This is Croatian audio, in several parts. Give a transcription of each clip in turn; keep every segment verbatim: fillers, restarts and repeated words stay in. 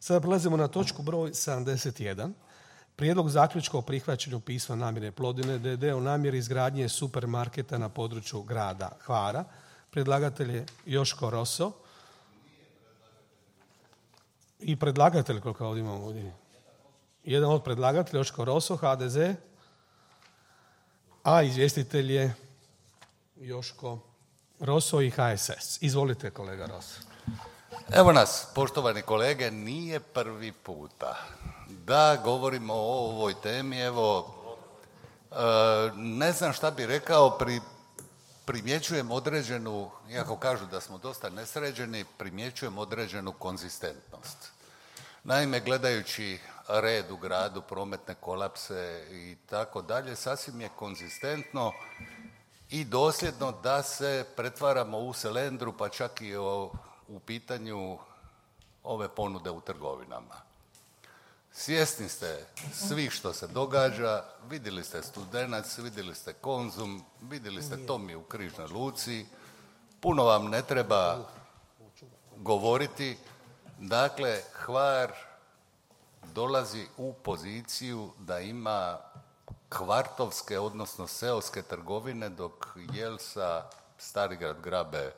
Sada prelazimo na točku broj sedamdeset jedan. Prijedlog zaključka o prihvaćanju pisma namjere Plodine d d. o namjeri izgradnje supermarketa na području grada Hvara. Predlagatelj je Joško Roso. I predlagatelj, koliko ovdje imamo ovdje. Jedan od predlagatelja, Joško Roso, H D Z. A izvjestitelj je Joško Roso i H S S. Izvolite, kolega Roso. Evo nas, poštovani kolege, nije prvi puta da govorimo o ovoj temi. Evo, ne znam šta bi rekao, pri, primjećujem određenu, iako kažu da smo dosta nesređeni, primjećujem određenu konzistentnost. Naime, gledajući red u gradu, prometne kolapse i tako dalje, sasvim je konzistentno i dosljedno da se pretvaramo u selendru, pa čak i o, u pitanju ove ponude u trgovinama. Svjesni ste svih što se događa, vidjeli ste Studenac, vidjeli ste Konzum, vidjeli ste Tomi u Križnoj luci, puno vam ne treba govoriti. Dakle, Hvar dolazi u poziciju da ima kvartovske, odnosno seoske trgovine, dok Jelsa, Starigrad grabe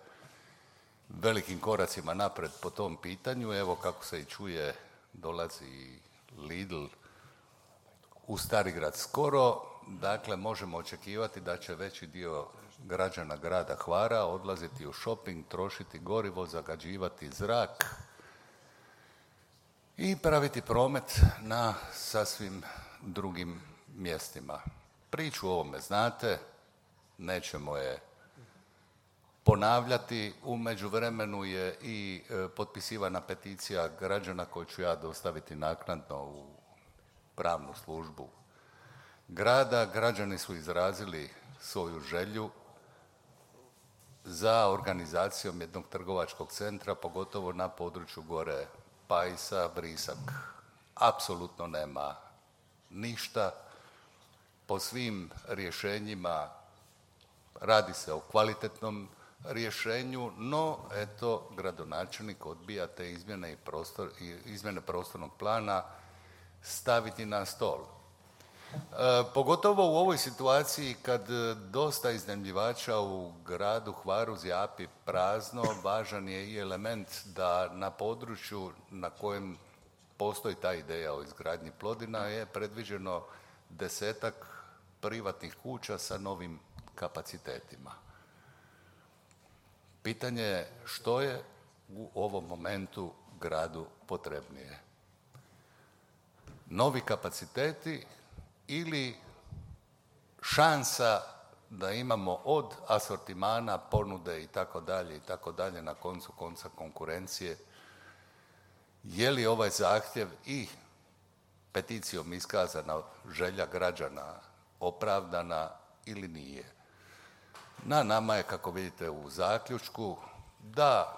velikim koracima napred po tom pitanju. Evo, kako se i čuje, dolazi Lidl u Starigrad skoro. Dakle, možemo očekivati da će veći dio građana grada Hvara odlaziti u shopping, trošiti gorivo, zagađivati zrak i praviti promet na sasvim drugim mjestima. Priču o ovome znate, nećemo je ponavljati. U međuvremenu je i potpisivana peticija građana koju ću ja dostaviti naknadno u pravnu službu grada. Građani su izrazili svoju želju za organizacijom jednog trgovačkog centra, pogotovo na području gore Pajsa, Brisak. Apsolutno nema ništa. Po svim rješenjima radi se o kvalitetnom rješenju, no eto, gradonačelnik odbija te izmjene, i prostor, izmjene prostornog plana staviti na stol. E, pogotovo u ovoj situaciji kad dosta iznajmljivača u gradu Hvaru zjapi prazno, važan je i element da na području na kojem postoji ta ideja o izgradnji Plodina je predviđeno desetak privatnih kuća sa novim kapacitetima. Pitanje je što je u ovom momentu gradu potrebnije. Novi kapaciteti ili šansa da imamo od asortimana, ponude i tako dalje i tako dalje, na koncu konca konkurencije. Je li ovaj zahtjev i peticijom iskazana želja građana opravdana ili nije? Na nama je, kako vidite u zaključku, da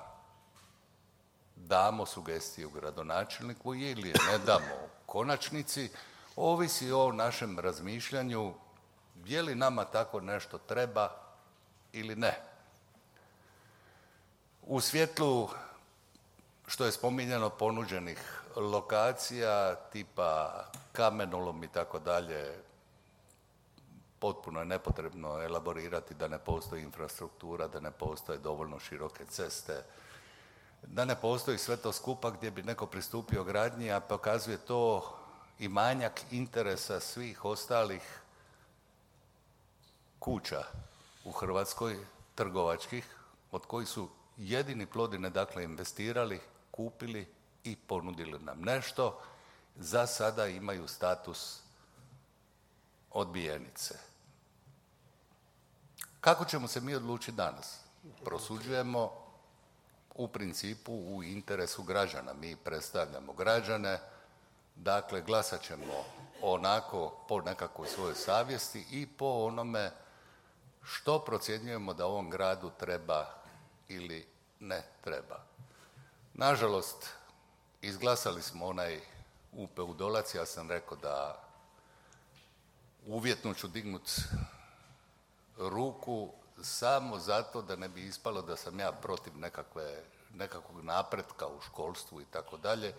damo sugestiju gradonačelniku ili je ne damo u konačnici. Ovisi o našem razmišljanju je li nama tako nešto treba ili ne. U svjetlu, što je spominjano, ponuđenih lokacija tipa kamenolom i tako dalje, potpuno je nepotrebno elaborirati da ne postoji infrastruktura, da ne postoje dovoljno široke ceste, da ne postoji sve to skupa gdje bi neko pristupio gradnji, a pokazuje to i manjak interesa svih ostalih kuća u Hrvatskoj, trgovačkih, od kojih su jedini Plodine, dakle, investirali, kupili i ponudili nam nešto. Za sada imaju status odbijenice. Kako ćemo se mi odlučiti danas? Prosuđujemo u principu u interesu građana. Mi predstavljamo građane, dakle glasat ćemo onako po nekakvoj svojoj savjesti i po onome što procjenjujemo da ovom gradu treba ili ne treba. Nažalost, izglasali smo onaj U P U Dolac. Ja sam rekao da uvjetno ću dignut ruku samo zato da ne bi ispalo da sam ja protiv nekakve, nekakvog napretka u školstvu i tako dalje.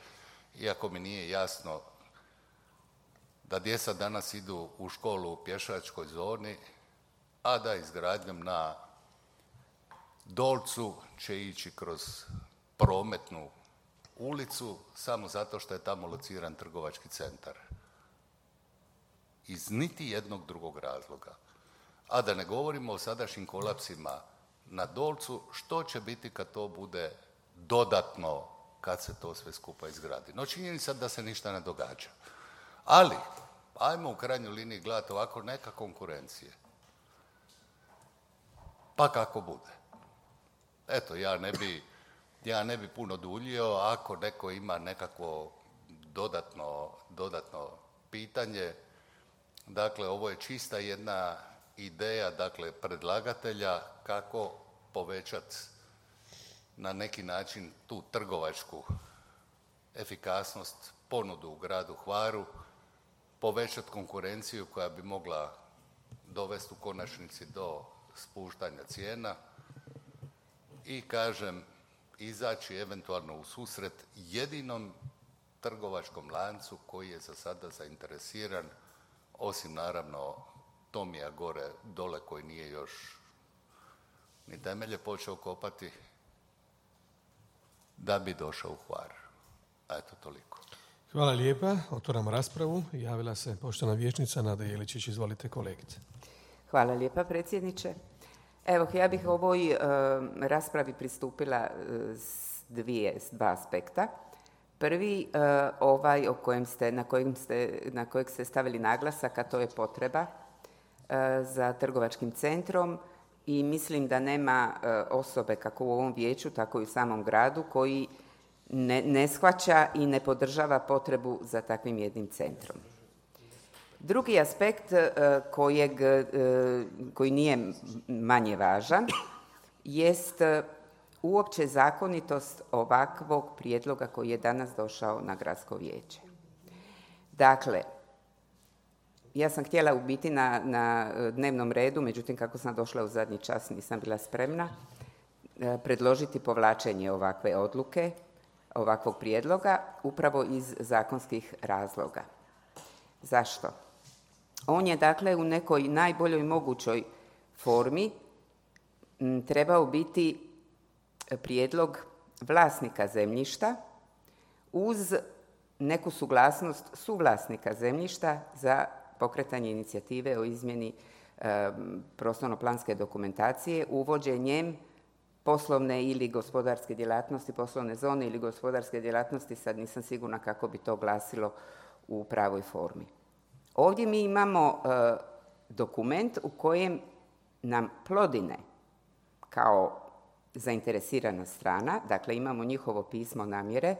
iako mi nije jasno da djeca danas idu u školu u pješačkoj zoni, a da izgradnjom na Dolcu će ići kroz prometnu ulicu samo zato što je tamo lociran trgovački centar. Iz niti jednog drugog razloga. A da ne govorimo o sadašnjim kolapsima na Dolcu, što će biti kad to bude dodatno, kad se to sve skupa izgradi. No činjenica da se ništa ne događa. Ali, ajmo u krajnjoj liniji gledati ovako, neka konkurencije. Pa kako bude. Eto, ja ne bi, ja ne bi puno duljio, ako neko ima nekakvo dodatno, dodatno pitanje. Dakle, ovo je čista jedna ideja, dakle, predlagatelja kako povećati na neki način tu trgovačku efikasnost, ponudu u gradu Hvaru, povećati konkurenciju koja bi mogla dovesti u konačnici do spuštanja cijena i, kažem, izaći eventualno u susret jedinom trgovačkom lancu koji je za sada zainteresiran, osim naravno Tomija gore dole koji nije još ni temelje počeo kopati, da bi došao u Hvar. Eto, toliko. Hvala lijepa. Otvaram raspravu. Javila se poštovana vijećnica Nada Jeličić. Izvolite, kolegice. Hvala lijepa, predsjedniče. Evo, ja bih ovoj e, raspravi pristupila s dvije, s dva aspekta. Prvi, e, ovaj o kojem ste, na, kojim ste, na kojeg ste stavili naglasak, a to je potreba e, za trgovačkim centrom i mislim da nema e, osobe kako u ovom vijeću, tako i u samom gradu koji ne, ne shvaća i ne podržava potrebu za takvim jednim centrom. Drugi aspekt e, kojeg, e, koji nije manje važan jest uopće zakonitost ovakvog prijedloga koji je danas došao na gradsko vijeće. Dakle, ja sam htjela u biti na, na dnevnom redu, međutim kako sam došla u zadnji čas nisam bila spremna, predložiti povlačenje ovakve odluke, ovakvog prijedloga, upravo iz zakonskih razloga. Zašto? On je dakle u nekoj najboljoj mogućoj formi m, trebao biti prijedlog vlasnika zemljišta uz neku suglasnost suvlasnika zemljišta za pokretanje inicijative o izmjeni e, prostorno-planske dokumentacije uvođenjem poslovne ili gospodarske djelatnosti, poslovne zone ili gospodarske djelatnosti, sad nisam sigurna kako bi to glasilo u pravoj formi. Ovdje mi imamo e, dokument u kojem nam Plodine kao zainteresirana strana, dakle imamo njihovo pismo namjere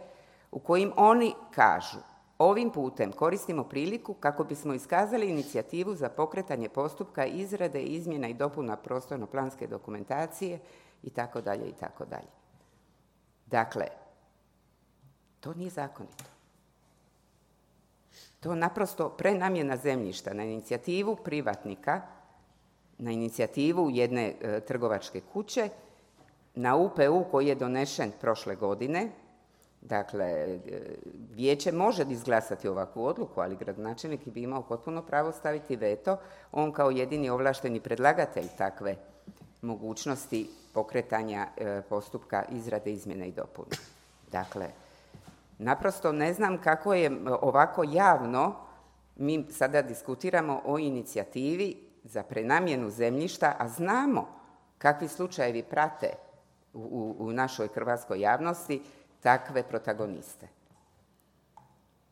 u kojim oni kažu: ovim putem koristimo priliku kako bismo iskazali inicijativu za pokretanje postupka izrade, izmjena i dopuna prostorno-planske dokumentacije i tako dalje i tako dalje. Dakle, to nije zakonito. To naprosto prenamjena zemljišta na inicijativu privatnika, na inicijativu jedne e, trgovačke kuće, na U P U koji je donešen prošle godine. Dakle, vijeće može izglasati ovakvu odluku, ali gradonačelnik bi imao potpuno pravo staviti veto, on kao jedini ovlašteni predlagatelj takve mogućnosti pokretanja e, postupka izrade, izmjene i dopune. Dakle, naprosto ne znam kako je ovako javno, mi sada diskutiramo o inicijativi za prenamjenu zemljišta, a znamo kakvi slučajevi prate u, u, u našoj hrvatskoj javnosti takve protagoniste.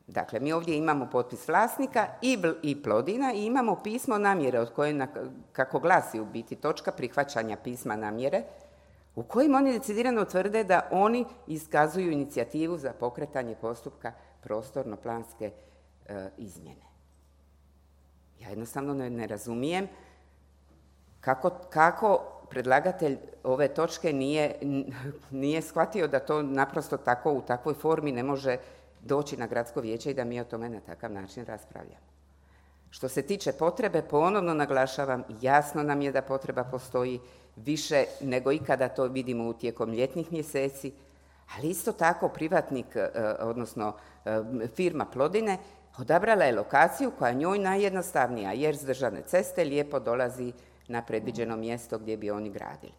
Dakle, mi ovdje imamo potpis vlasnika i, i Plodina i imamo pismo namjere od koje, kako glasi u biti točka prihvaćanja pisma namjere, u kojim oni decidirano tvrde da oni iskazuju inicijativu za pokretanje postupka prostorno-planske e, izmjene. Ja jednostavno ne, ne razumijem kako, kako predlagatelj ove točke nije, nije shvatio da to naprosto tako u takvoj formi ne može doći na gradsko vijeće i da mi o tome na takav način raspravljamo. Što se tiče potrebe, ponovno naglašavam, jasno nam je da potreba postoji više nego ikada, to vidimo u tijekom ljetnih mjeseci, Ali isto tako privatnik, odnosno firma Plodine, odabrala je lokaciju koja je njoj najjednostavnija, jer s državne ceste lijepo dolazi na predviđeno mjesto gdje bi oni gradili.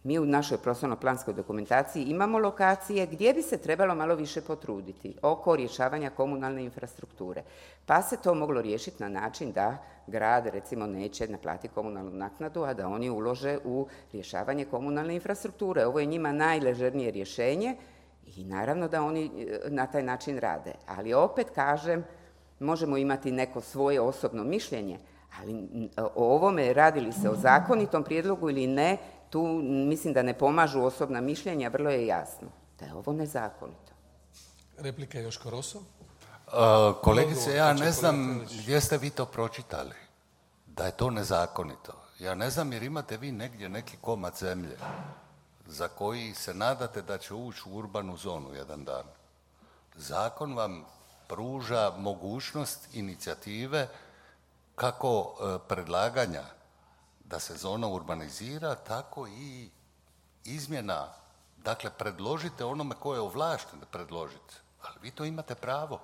Mi u našoj prostorno-planskoj dokumentaciji imamo lokacije gdje bi se trebalo malo više potruditi oko rješavanja komunalne infrastrukture. Pa se to moglo riješiti na način da grad, recimo, neće naplatiti komunalnu naknadu, a da oni ulože u rješavanje komunalne infrastrukture. Ovo je njima najležernije rješenje i naravno da oni na taj način rade. Ali opet kažem, možemo imati neko svoje osobno mišljenje, ali o ovome, radi li se o zakonitom prijedlogu ili ne, tu mislim da ne pomažu osobna mišljenja, vrlo je jasno da je ovo nezakonito. Replika Joško Roso. Uh, kolegice, ja ne znam gdje ste vi to pročitali, da je to nezakonito. Ja ne znam jer imate vi negdje neki komad zemlje za koji se nadate da će ući u urbanu zonu jedan dan. Zakon vam pruža mogućnost inicijative kako uh, predlaganja da se zona urbanizira, tako i izmjena. Dakle, predložite onome ko je ovlašten da predložite. Ali vi to imate pravo.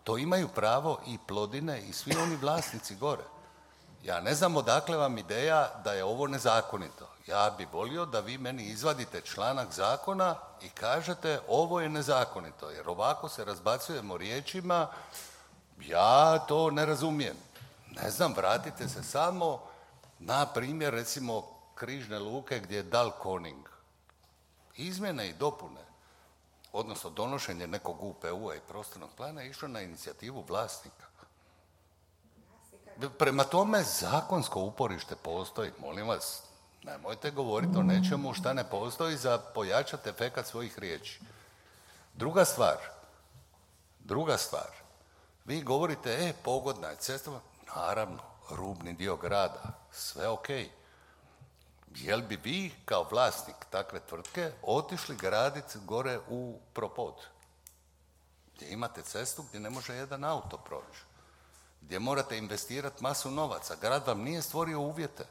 To imaju pravo i Plodine i svi oni vlasnici gore. Ja ne znam odakle vam ideja da je ovo nezakonito. Ja bi volio da vi meni izvadite članak zakona i kažete ovo je nezakonito. Jer ovako se razbacujemo riječima, ja to ne razumijem. Ne znam, vratite se samo na primjer, recimo, Križne luke gdje je Dalkoning. Izmjene i dopune, odnosno donošenje nekog U P U-a i prostornog plana je išlo na inicijativu vlasnika. Prema tome, zakonsko uporište postoji. Molim vas, nemojte govoriti o nečemu šta ne postoji za pojačati efekat svojih riječi. Druga stvar, druga stvar, vi govorite, e, pogodna je cesta, naravno, rubni dio grada, sve ok. Jel bi vi kao vlasnik takve tvrtke otišli graditi gore u Propod? Gdje imate cestu gdje ne može jedan auto proći. Gdje morate investirati masu novaca. Grad vam nije stvorio uvjete.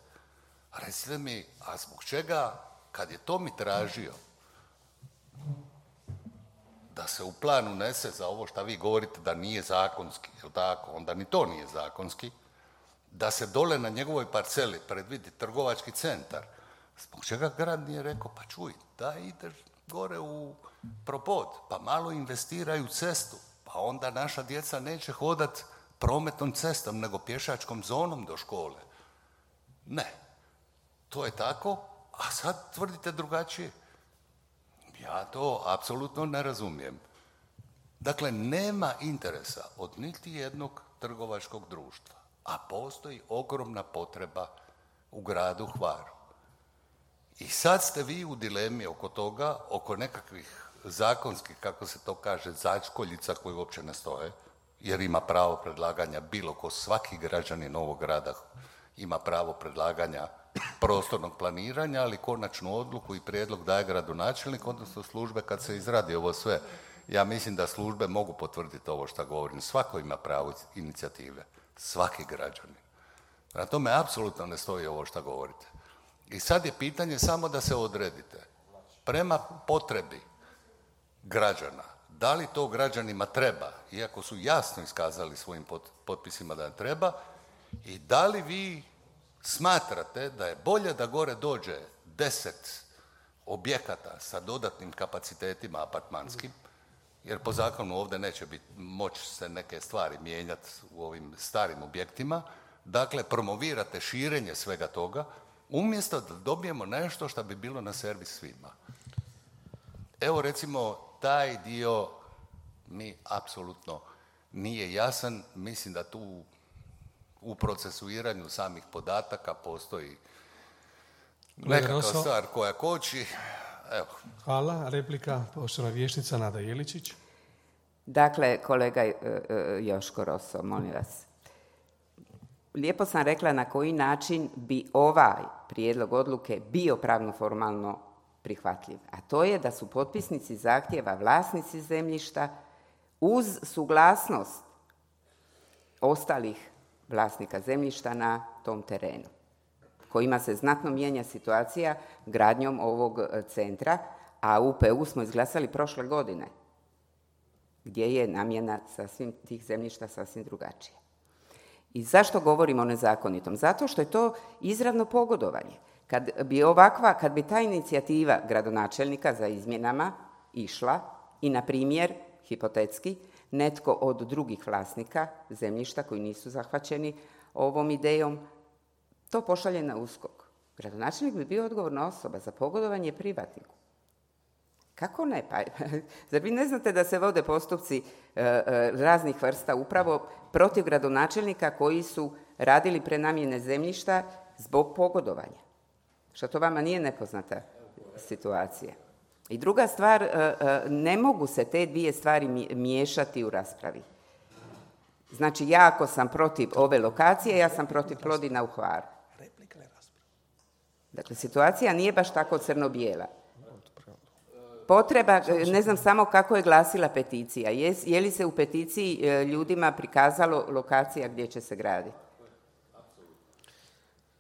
Recite mi, a zbog čega, kad je to mi tražio, da se u plan unese za ovo što vi govorite da nije zakonski, jel tako? Onda ni to nije zakonski. Da se dole na njegovoj parceli predvidi trgovački centar. Zbog čega grad nije rekao, pa čuj, da ideš gore u Propod, pa malo investiraju cestu, pa onda naša djeca neće hodat prometnom cestom, nego pješačkom zonom do škole. Ne, to je tako, a sad tvrdite drugačije. Ja to apsolutno ne razumijem. Dakle, nema interesa od niti jednog trgovačkog društva, a postoji ogromna potreba u gradu Hvaru. I sad ste vi u dilemi oko toga, oko nekakvih zakonskih, kako se to kaže, začkoljica koje uopće ne stoje, jer ima pravo predlaganja bilo ko, svaki građanin ovog grada ima pravo predlaganja prostornog planiranja, ali konačnu odluku i prijedlog daje gradonačelnik, odnosno službe kad se izradi ovo sve. Ja mislim da službe mogu potvrditi ovo što govorim. Svako ima pravo inicijative. Svaki građanin. Na tome apsolutno ne stoji ovo što govorite. I sad je pitanje samo da se odredite. Prema potrebi građana, da li to građanima treba, iako su jasno iskazali svojim potpisima da treba, i da li vi smatrate da je bolje da gore dođe deset objekata sa dodatnim kapacitetima apartmanskim, jer po zakonu ovdje neće biti moći se neke stvari mijenjati u ovim starim objektima, dakle promovirate širenje svega toga, umjesto da dobijemo nešto što bi bilo na servis svima. Evo recimo, taj dio mi apsolutno nije jasan. Mislim da tu u procesuiranju samih podataka postoji nekakva stvar koja koči. Evo. Hvala. Replika, poštovana vijećnica Nada Jeličić. Dakle, kolega Joško Roso, molim vas. Lijepo sam rekla na koji način bi ovaj prijedlog odluke bio pravno formalno prihvatljiv. A to je da su potpisnici zahtjeva vlasnici zemljišta uz suglasnost ostalih vlasnika zemljišta na tom terenu, kojima se znatno mijenja situacija gradnjom ovog centra, a U P U smo izglasali prošle godine, gdje je namjena sasvim tih zemljišta sasvim drugačija. I zašto govorimo o nezakonitom? Zato što je to izravno pogodovanje. Kad bi ovakva, kad bi ta inicijativa gradonačelnika za izmjenama išla i, na primjer, hipotetski, netko od drugih vlasnika zemljišta koji nisu zahvaćeni ovom idejom, to pošalje na USKOK. Gradonačelnik bi bio odgovorna osoba za pogodovanje privatniku. Kako ne? Pa, zar vi ne znate da se vode postupci e, e, raznih vrsta upravo protiv gradonačelnika koji su radili prenamjene zemljišta zbog pogodovanja? Što to vama nije nepoznata situacija? I druga stvar, e, e, ne mogu se te dvije stvari miješati u raspravi. Znači, ja ako sam protiv ove lokacije, ja sam protiv Plodina u Hvaru. Dakle, situacija nije baš tako crno-bijela. Potreba, ne znam samo kako je glasila peticija. Je, je li se u peticiji ljudima prikazalo lokacija gdje će se graditi?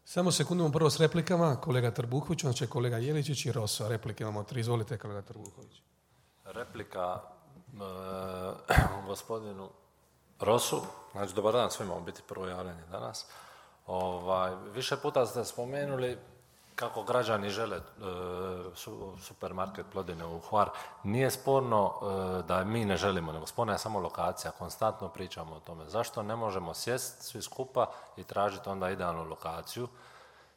Samo sekundom prvo s replikama. Kolega Trbuhović, onda će kolega Jeličić i Roso. Replike imamo tri. Izvolite, kolega Trbuhović. Replika e, gospodinu Rosu. Znači, dobar dan svima, ovo biti prvo javljanje danas. Ovaj, više puta ste spomenuli kako građani žele e, su, supermarket Plodine u Hvar. Nije sporno e, da mi ne želimo, nego sporna je samo lokacija. Konstantno pričamo o tome. Zašto ne možemo sjesti svi skupa i tražiti onda idealnu lokaciju?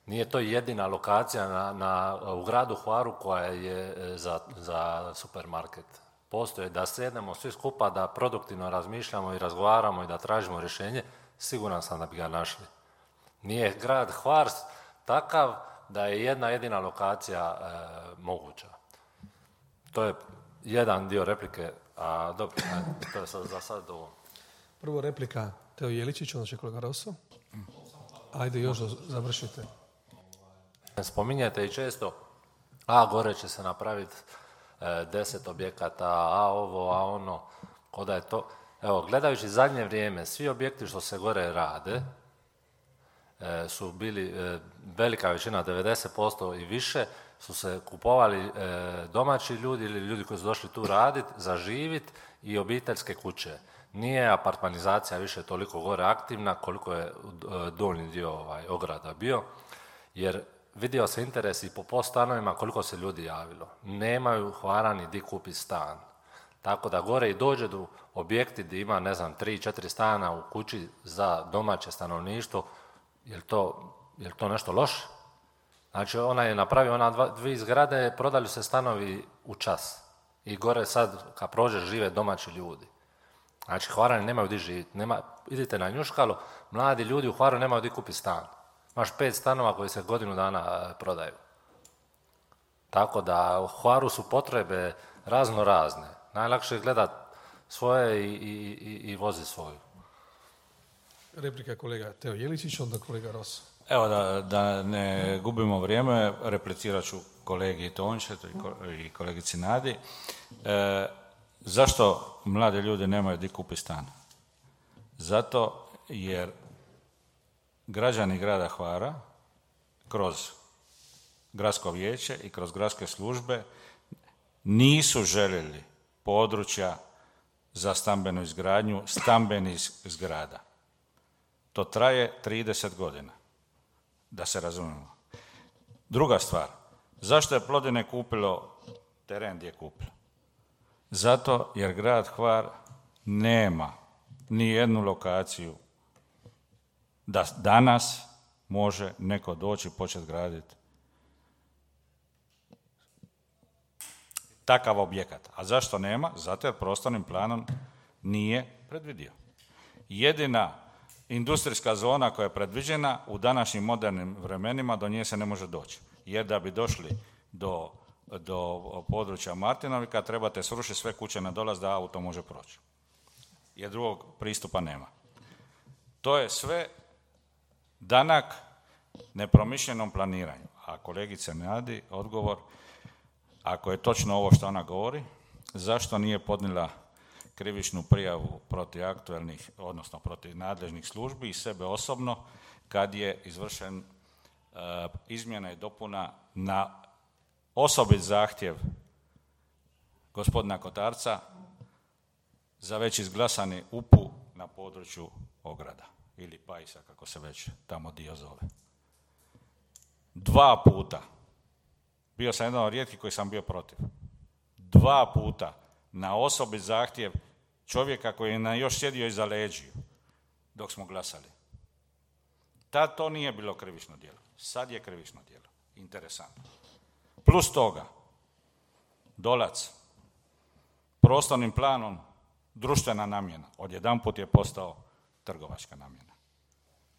Nije to jedina lokacija na, na, u gradu Hvaru koja je za, za supermarket. Postoje da sjednemo svi skupa, da produktivno razmišljamo i razgovaramo i da tražimo rješenje, siguran sam da bi ga našli. Nije grad Hvar takav da je jedna jedina lokacija e, moguća. To je jedan dio replike, a dobro, to je sad, za sad ovo. Prvo replika Teo Jeličić, onda će kolega Roso. Ajde, još završite. Spominjete i često, a gore će se napraviti e, deset objekata, a ovo, a ono, koda je to. Evo, gledajući zadnje vrijeme, svi objekti što se gore rade, su bili, velika većina, devedeset posto i više, su se kupovali domaći ljudi ili ljudi koji su došli tu raditi, zaživiti i obiteljske kuće. Nije apartmanizacija više toliko gore aktivna koliko je dolni dio ovaj, ograda bio, jer vidio se interes i po post stanovima koliko se ljudi javilo. Nemaju Hvarani di kupi stan. Tako da gore i dođe do objekti gdje ima, ne znam, tri, četiri stana u kući za domaće stanovništvo. Je to, je to nešto loše? Znači, ona je napravio, ona dva, dvije zgrade, prodali se stanovi u čas. I gore sad, kad prođeš, žive domaći ljudi. Znači, Hvarani nemaju di živjeti. Nema, idite na Njuškalo, mladi ljudi u Hvaru nemaju di kupiti stan. Imaš pet stanova koji se godinu dana prodaju. Tako da, u Hvaru su potrebe razno razne. Najlakše je gledat svoje i, i, i, i vozi svoju. Replika kolega Teo Jeličić, onda kolega Roso. Evo, da, da ne gubimo vrijeme, replicirat ću kolegi Tončetu i kolegici Nadi. E, zašto mladi ljudi nemaju di kupiti stan? Zato jer građani grada Hvara kroz gradsko vijeće i kroz gradske službe nisu željeli područja za stambenu izgradnju stambenih zgrada. To traje trideset godina, da se razumijemo. Druga stvar, zašto je Plodine kupilo teren gdje je kupilo? Zato jer grad Hvar nema ni jednu lokaciju da danas može neko doći i početi graditi takav objekat. A zašto nema? Zato jer prostornim planom nije predvidio. Jedina industrijska zona koja je predviđena u današnjim modernim vremenima, do nje se ne može doći. Jer da bi došli do, do područja Martinovika, trebate srušiti sve kuće na dolaz da auto može proći. Jer drugog pristupa nema. To je sve danak nepromišljenom planiranju. A kolegice Nadi, odgovor, ako je točno ovo što ona govori, zašto nije podnijela krivičnu prijavu protiv aktualnih, odnosno protiv nadležnih službi i sebe osobno, kad je izvršen uh, izmjena i dopuna na osobit zahtjev gospodina Kotarca za već izglasani U P U na području Ograda ili Pajsa, kako se već tamo dio zove. Dva puta. Bio sam jedan od rijetkih koji sam bio protiv. Dva puta na osobi zahtjev čovjeka koji je na još sjedio iza leđiju dok smo glasali. Tad to nije bilo krivično djelo. Sad je krivično djelo. Interesantno. Plus toga, Dolac, prostornim planom društvena namjena, odjedanput je postao trgovačka namjena.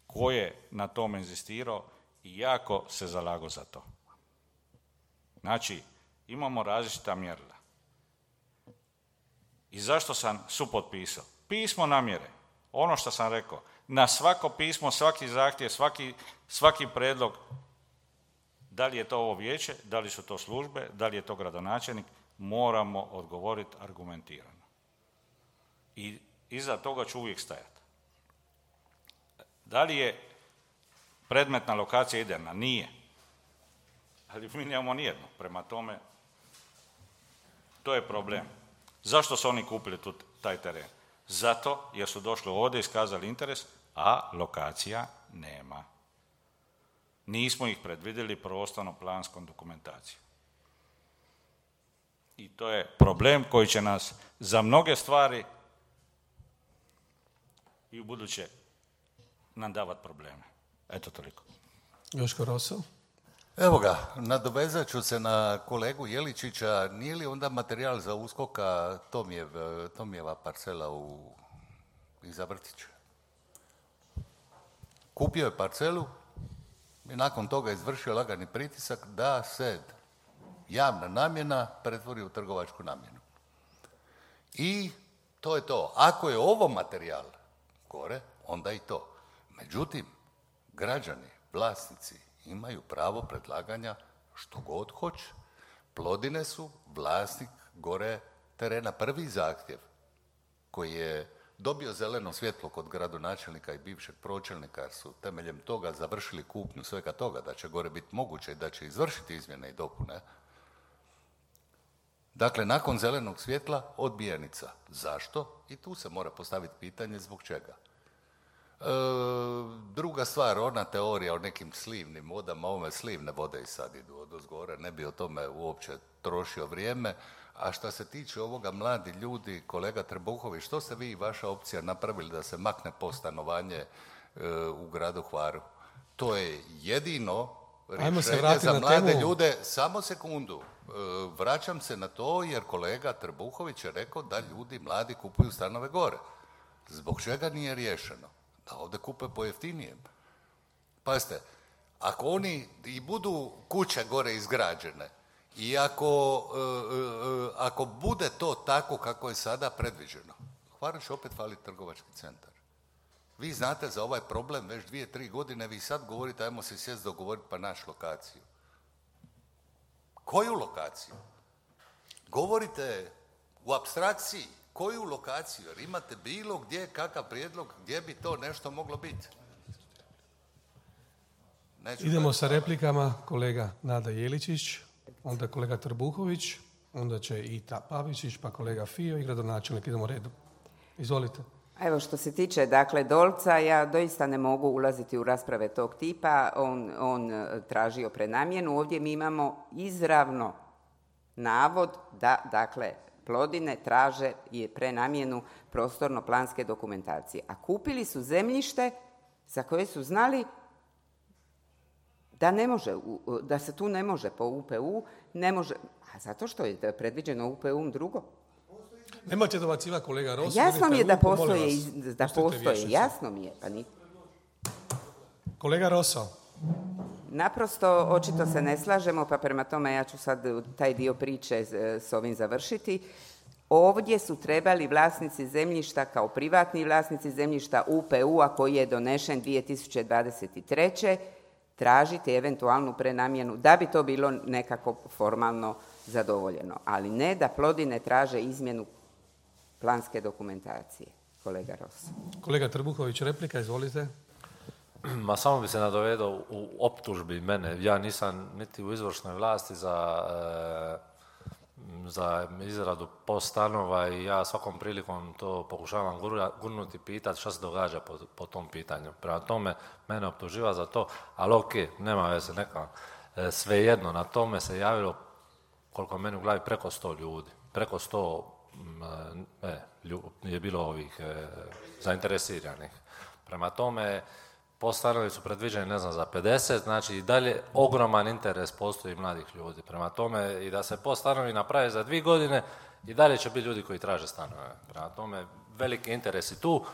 Ko je na tome inzistirao i jako se zalagao za to. Znači, imamo različita mjerila. I zašto sam supotpisao? Pismo namjere, ono što sam rekao, na svako pismo, svaki zahtjev, svaki, svaki predlog, da li je to ovo vijeće, da li su to službe, da li je to gradonačelnik, moramo odgovoriti argumentirano. I iza toga ću uvijek stajati. Da li je predmetna lokacija idealna? Nije. Ali mi nemamo nijedno. Prema tome, to je problem. Zašto su oni kupili tu, taj teren? Zato jer su došli ovdje, iskazali interes, a lokacija nema. Nismo ih predvidjeli prostorno-planskom dokumentacijom. I to je problem koji će nas za mnoge stvari i u buduće nam davati probleme. Eto toliko. Joško Roso. Evo ga, nadovezat ću se na kolegu Jeličića. Nije li onda materijal za uskoka Tomijev, Tomijeva parcela u, iza vrtića? Kupio je parcelu i nakon toga izvršio lagani pritisak da se javna namjena pretvori u trgovačku namjenu. I to je to. Ako je ovo materijal gore, onda i to. Međutim, građani, vlasnici imaju pravo predlaganja što god hoće. Plodine su vlasnik gore terena. Prvi zahtjev koji je dobio zeleno svjetlo kod gradonačelnika i bivšeg pročelnika, jer su temeljem toga završili kupnju svega toga, da će gore biti moguće i da će izvršiti izmjene i dopune. Dakle, nakon zelenog svjetla odbijenica. Zašto? I tu se mora postaviti pitanje zbog čega. E, druga stvar, ona teorija o nekim slivnim vodama, ove slivne vode i sad idu odozgore, ne bi o tome uopće trošio vrijeme. A što se tiče ovoga, mladi ljudi, kolega Trbuhović, što ste vi i vaša opcija napravili da se makne postanovanje e, u gradu Hvaru? To je jedino rješenje za mlade ljude. Samo sekundu, e, vraćam se na to jer kolega Trbuhović je rekao da ljudi mladi kupuju stanove gore. Zbog čega nije riješeno? Da ovdje kupe po jeftinijem. Pazite, ako oni i budu kuće gore izgrađene, i ako, e, e, ako bude to tako kako je sada predviđeno, Hvaru će opet faliti trgovački centar. Vi znate za ovaj problem već dvije, tri godine, vi sad govorite ajmo se sjest dogovoriti pa naš lokaciju. Koju lokaciju? Govorite u apstrakciji. Koju lokaciju? Jer imate bilo gdje kakav prijedlog gdje bi to nešto moglo biti. Neću Idemo gledati. sa replikama. Kolega Nada Jeličić, onda kolega Trbuhović, onda će i Ta Pavičić, pa kolega Fio i gradonačelnik. Idemo redom. Izvolite. Evo što se tiče dakle Dolca, ja doista ne mogu ulaziti u rasprave tog tipa. On, on tražio prenamjenu. Ovdje mi imamo izravno navod da dakle Plodine traže je prenamjenu prostorno-planske dokumentacije. A kupili su zemljište za koje su znali da ne može, da se tu ne može po U P U, ne može, a zato što je predviđeno U P U drugo. Nemojte dobacivati kolega Rosi. Jasno mi je da ruku, postoje, vas. da Pustite postoje, vješicu. jasno mi je. Pa ni... Kolega Roso. Naprosto, očito se ne slažemo, pa prema tome ja ću sad taj dio priče s ovim završiti. Ovdje su trebali vlasnici zemljišta kao privatni vlasnici zemljišta U P U-a koji je donešen dvije tisuće dvadeset treće tražiti eventualnu prenamjenu da bi to bilo nekako formalno zadovoljeno. Ali ne da Plodine traže izmjenu planske dokumentacije. Kolega Ros. Kolega Trbuhović, replika, izvolite. Ma samo bi se nadovedao u optužbi mene. Ja nisam niti u izvršnoj vlasti za e, za izradu post stanova i ja svakom prilikom to pokušavam gurnuti, pitati šta se događa po, po tom pitanju. Prema tome, mene optuživa za to, ali ok, nema veze, neka. E, svejedno, na tome se javilo, koliko meni u glavi, preko sto ljudi. Preko sto e, je bilo ovih e, zainteresiranih. Prema tome, post stanovi su predviđeni, ne znam, za pedeset, znači i dalje ogroman interes postoji mladih ljudi. Prema tome, i da se post stanovi naprave za dvije godine, i dalje će biti ljudi koji traže stanove. Prema tome, veliki interes i tu,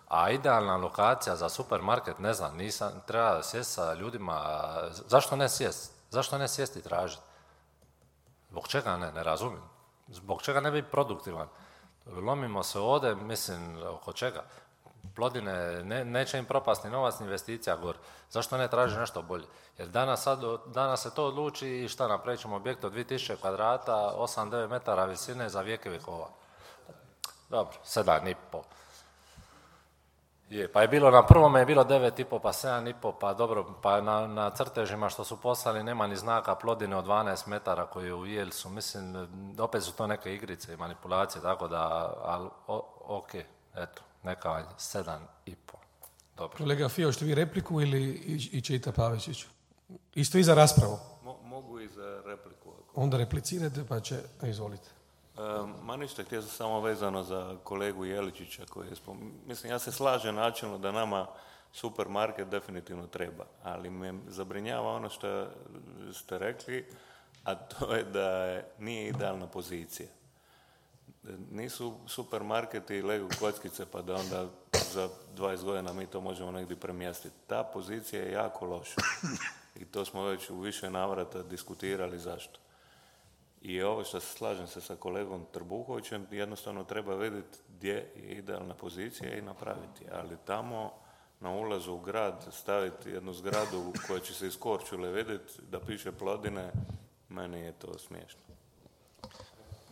a idealna lokacija za supermarket, ne znam, nisam, treba sjesti sa ljudima, zašto ne sjesti? Zašto ne sjesti i tražiti? Zbog čega ne, ne razumijem. Zbog čega ne biti produktivan? Lomimo se ovdje, mislim, oko čega? Plodine, ne, neće im propasti novac, investicija gore. Zašto ne traži nešto bolje? Jer danas, sad, danas se to odluči i šta, napravit ćemo objekt od dvije tisuće kvadrata, osam do devet metara visine za vijeke vjekova. Dobro, sedam i pol. Je, pa je bilo na prvome je bilo devet i pol, pa sedam i pol, pa dobro, pa na, na crtežima što su poslali nema ni znaka Plodine od dvanaest metara koji je u Jelsu. Mislim, opet su to neke igrice i manipulacije, tako da, ali, ok, eto. Neka sedam i pol. Dobro. Kolega Fio, što vi repliku ili i Čita Pavičić? Isto i za raspravu? Mo, mogu i za repliku. Ako... Onda replicirate pa će... Izvolite. E, ma ništa, htio sam samo vezano za kolegu Jeličića koji je spom... Mislim, ja se slažem načelno da nama supermarket definitivno treba, ali me zabrinjava ono što ste rekli, a to je da je, nije idealna pozicija. Nisu supermarketi lego kockice pa da onda za dvadeset godina mi to možemo negdje premjestiti. Ta pozicija je jako loša i to smo već u više navrata diskutirali zašto. I ovo što se slažem se sa kolegom Trbuhovićem, jednostavno treba vidjeti gdje je idealna pozicija i napraviti. Ali tamo na ulazu u grad staviti jednu zgradu koja će se iz Korčule vidjeti da piše Plodine, meni je to smiješno.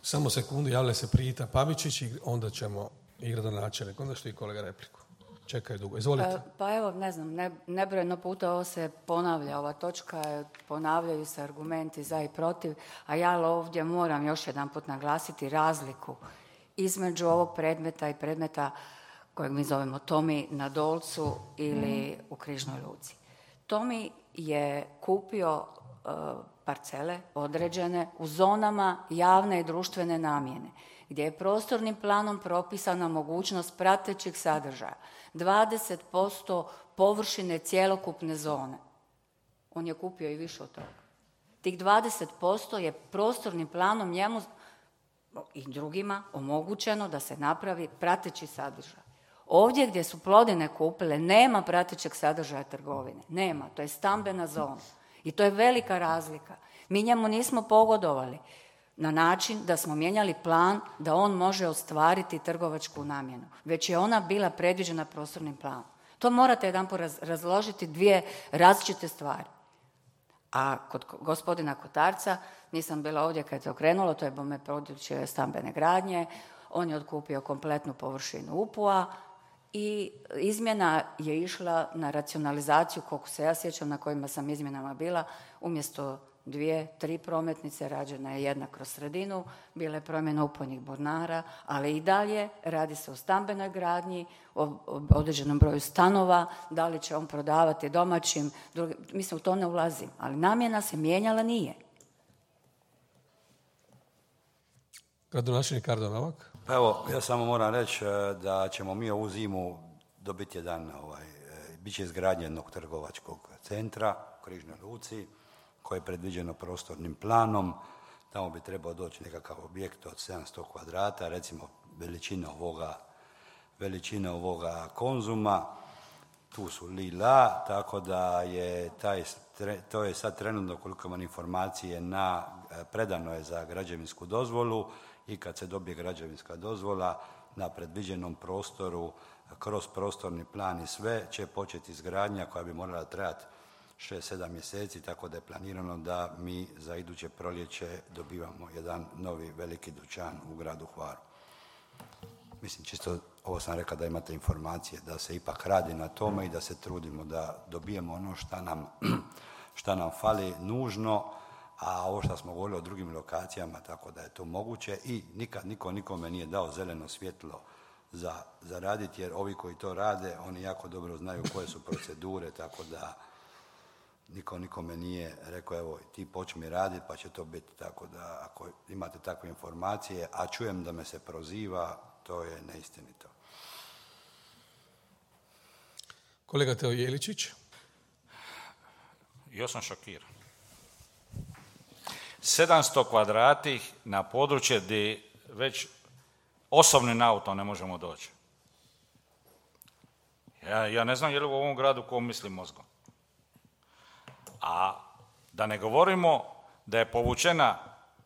Samo sekundu, javlja se Prijita Pavičić i onda ćemo i gradonačelnik. Onda što i kolega repliku. Čekaj dugo. Izvolite. E, pa evo, ne znam, ne, nebrojeno puta ovo se ponavlja, ova točka, ponavljaju se argumenti za i protiv, a ja ovdje moram još jedan put naglasiti razliku između ovog predmeta i predmeta kojeg mi zovemo Tomi na Dolcu ili u Križnoj Luci. Tomi je kupio uh, parcele određene u zonama javne i društvene namjene, gdje je prostornim planom propisana mogućnost pratećih sadržaja. dvadeset posto površine cjelokupne zone. On je kupio i više od toga. Tih dvadeset posto je prostornim planom njemu i drugima omogućeno da se napravi prateći sadržaj. Ovdje gdje su Plodine kupile nema pratećeg sadržaja trgovine. Nema, to je stambena zona. I to je velika razlika. Mi njemu nismo pogodovali na način da smo mijenjali plan da on može ostvariti trgovačku namjenu. Već je ona bila predviđena prostornim planom. To morate jedanput razložiti dvije različite stvari. A kod gospodina Kotarca, nisam bila ovdje kad je okrenulo, to je bome područje stambene gradnje, on je otkupio kompletnu površinu U P U-a i izmjena je išla na racionalizaciju, koliko se ja sjećam, na kojima sam izmjenama bila, umjesto dvije, tri prometnice, rađena je jedna kroz sredinu, bila je promjena upojnih bornara, ali i dalje radi se o stambenoj gradnji, o određenom broju stanova, da li će on prodavati domaćim, drugi, mislim u to ne ulazim, ali namjena se mijenjala nije. Gradonačelnik Ardo Novak. Pa evo, ja samo moram reći da ćemo mi ovu zimu dobiti jedan, ovaj, bit će izgradnja jednog trgovačkog centra u Križnoj Luci, koje je predviđeno prostornim planom. Tamo bi trebao doći nekakav objekt od sedamsto kvadrata, recimo veličine ovoga, veličine ovoga Konzuma. Tu su Lila, tako da je taj, to je sad trenutno, koliko imam informacije, na, predano je za građevinsku dozvolu i kad se dobije građevinska dozvola na predviđenom prostoru, kroz prostorni plan i sve, će početi izgradnja koja bi morala trajati šest sedam mjeseci, tako da je planirano da mi za iduće proljeće dobivamo jedan novi veliki dućan u gradu Hvaru. Mislim, čisto ovo sam rekao da imate informacije da se ipak radi na tome i da se trudimo da dobijemo ono šta nam, šta nam fali nužno, a ovo što smo govorili o drugim lokacijama, tako da je to moguće i nikad niko nikome nije dao zeleno svjetlo za, za raditi, jer ovi koji to rade, oni jako dobro znaju koje su procedure, tako da niko nikome nije rekao, evo, ti počmi raditi pa će to biti, tako da ako imate takve informacije, a čujem da me se proziva, to je neistinito. Kolega Teo Jeličić. Ja sam šokiran. sedamsto kvadrati na područje gdje već osobnim autom ne možemo doći. Ja, ja ne znam je li u ovom gradu ko misli mozgom. A da ne govorimo da je povučena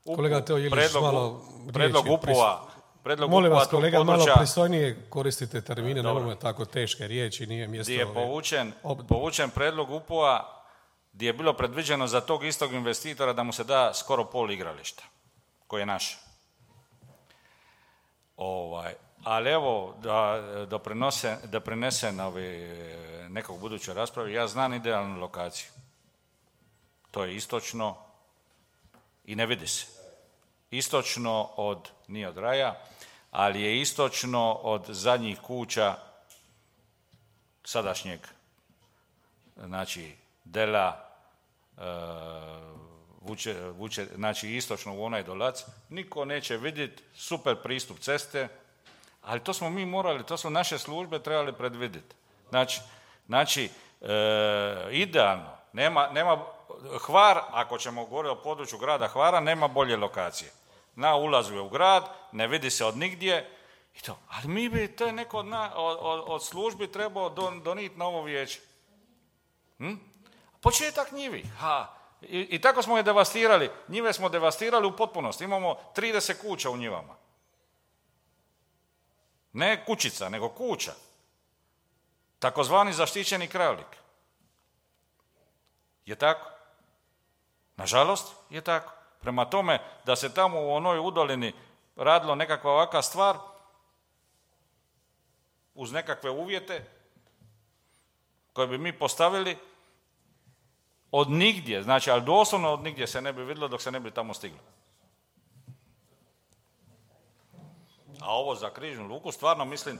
upu, kolega Teo Jeličić, predlog, malo predlog riječi, upova. Predlog molim upova vas, kolega, područja, malo pristojnije koristite termine, nemojmo tako teške riječi, nije mjesto... Gdje je povučen, povučen predlog upova gdje je bilo predviđeno za tog istog investitora da mu se da skoro pol igrališta, koji je naš. Ovaj, ali evo, da, doprinose, da prinesem ovi, nekog buduće rasprave, ja znam idealnu lokaciju. To je istočno i ne vidi se. Istočno od, nije od Raja, ali je istočno od zadnjih kuća sadašnjeg, znači Dela, uh, vuče, vuče, znači istočno u onaj dolac, niko neće vidjeti, super pristup ceste, ali to smo mi morali, to su naše službe trebali predvidjeti. Znači, znači uh, idealno, nema, nema Hvar, ako ćemo govoriti o području grada Hvara, nema bolje lokacije. Na ulazu je u grad, ne vidi se od nigdje, i to. Ali mi bi, to je neko od, na, od, od službi trebao don, doniti na ovo vijeće. Hm? Početak njivi. Ha. I, I tako smo je devastirali. Njive smo devastirali u potpunosti. Imamo trideset kuća u njivama. Ne kućica, nego kuća. Takozvani zaštićeni krajolik. Je tako? Nažalost, je tako. Prema tome, da se tamo u onoj udolini radilo nekakva ovakva stvar, uz nekakve uvjete koje bi mi postavili, od nigdje, znači, ali doslovno od nigdje se ne bi vidjelo dok se ne bi tamo stiglo. A ovo za Križnu luku, stvarno mislim,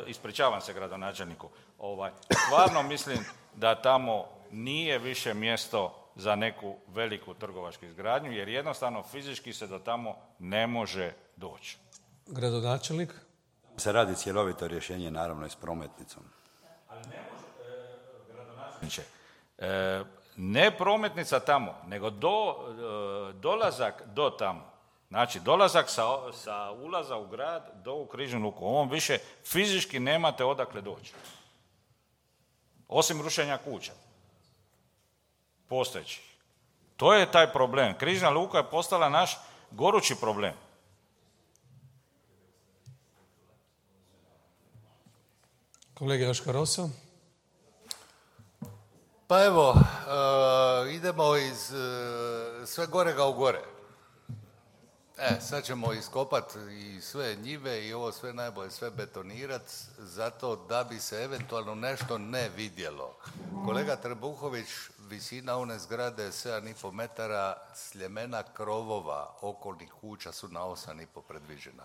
ispričavam se gradonačelniku, ovaj, stvarno mislim da tamo nije više mjesto za neku veliku trgovačku izgradnju, jer jednostavno fizički se do tamo ne može doći. Gradonačelnik? Se radi cjelovito rješenje, naravno, i s prometnicom. Ali ne može, e, gradonačelniče, e, ne prometnica tamo, nego do, e, dolazak do tamo. Znači, dolazak sa, sa ulaza u grad do u Križnu luku. Ovom više fizički nemate odakle doći. Osim rušenja kuća. Postojeći. To je taj problem. Križna luka je postala naš gorući problem. Kolega Joško Roso. Pa evo, uh, idemo iz uh, sve gorega u gore. E, sad ćemo iskopati i sve njive i ovo sve najbolje, sve betonirati, zato da bi se eventualno nešto ne vidjelo. Kolega Trbuhović, visina one zgrade sedam i pol metara, sljemena krovova okolnih kuća su na osam i pol predviđena.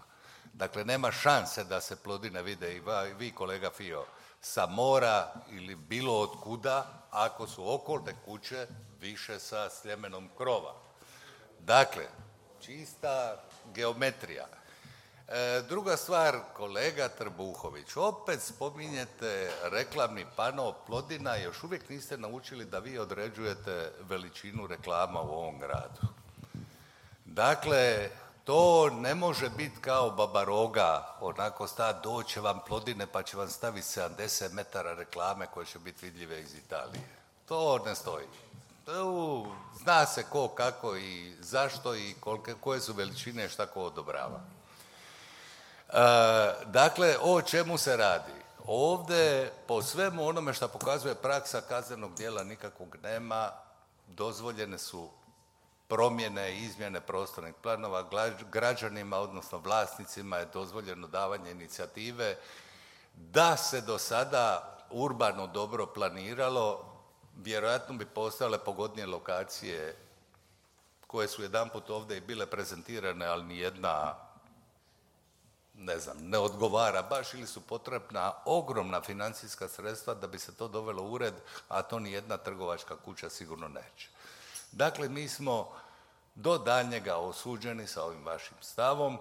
Dakle, nema šanse da se plodine vide i vi, kolega Fio, sa mora ili bilo od kuda, ako su okolne kuće više sa sljemenom krova. Dakle, čista geometrija. E, druga stvar, kolega Trbuhović, opet spominjete reklamni pano Plodina, još uvijek niste naučili da vi određujete veličinu reklama u ovom gradu. Dakle, to ne može biti kao Baba Roga, onako sta, doće vam Plodine pa će vam staviti sedamdeset metara reklame koje će biti vidljive iz Italije. To ne stoji. U, zna se ko, kako i zašto i kolike, koje su veličine, šta ko odobrava. E, dakle, o čemu se radi? Ovdje, po svemu onome što pokazuje praksa kaznenog djela, nikakvog nema, dozvoljene su promjene i izmjene prostornih planova, građanima, odnosno vlasnicima je dozvoljeno davanje inicijative. Da se do sada urbano dobro planiralo, vjerojatno bi postojale pogodnije lokacije koje su jedanput ovdje i bile prezentirane, ali ni jedna, ne znam, ne odgovara baš ili su potrebna ogromna financijska sredstva da bi se to dovelo u ured, a to ni jedna trgovačka kuća sigurno neće. Dakle, mi smo do daljnjega osuđeni sa ovim vašim stavom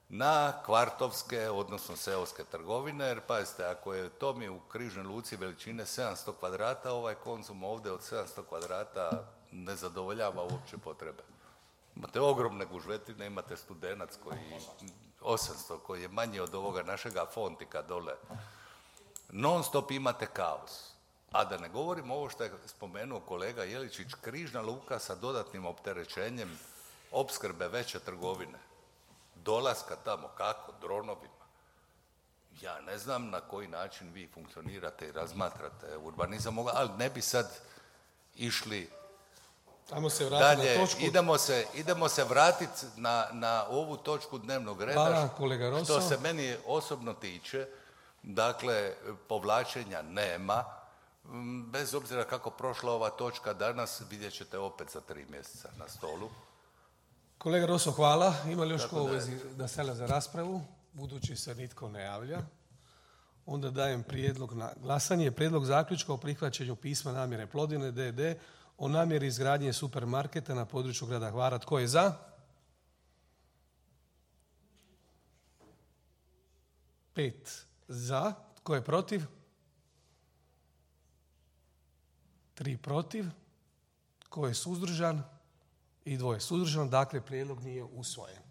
na kvartovske, odnosno seoske trgovine, jer pazite, ako je to mi u Križnoj Luci veličine sedamsto kvadrata, ovaj Konzum ovdje od sedamsto kvadrata ne zadovoljava uopće potrebe. Imate ogromne gužvetine, imate Studenac koji osamsto, koji je manji od ovoga našega Fontika dole. Non stop imate kaos. A da ne govorimo ovo što je spomenuo kolega Jeličić, Križna Luka sa dodatnim opterećenjem opskrbe veće trgovine. Dolaska tamo, kako? Dronovima. Ja ne znam na koji način vi funkcionirate i razmatrate urbanizam, ali ne bi sad išli Ajmo se vratiti dalje. na točku. Idemo se, idemo se vratiti na, na ovu točku dnevnog reda. Hvala, kolega Rosso. Što se meni osobno tiče, dakle, povlačenja nema. Bez obzira kako prošla ova točka danas, vidjet ćete opet za tri mjeseca na stolu. Kolega Rosso, hvala. Ima li još Tako ko u da je. vezi da stavlja za raspravu? Budući se nitko ne javlja. Onda dajem prijedlog na glasanje. Prijedlog zaključka o prihvaćanju pisma namjere Plodine D D o namjeri izgradnje supermarketa na području grada Hvara. Tko je za? Pet za. Tko je protiv? Tri protiv. Tko je suzdržan? I dvoje suzdržan. Dakle, prijedlog nije usvojen.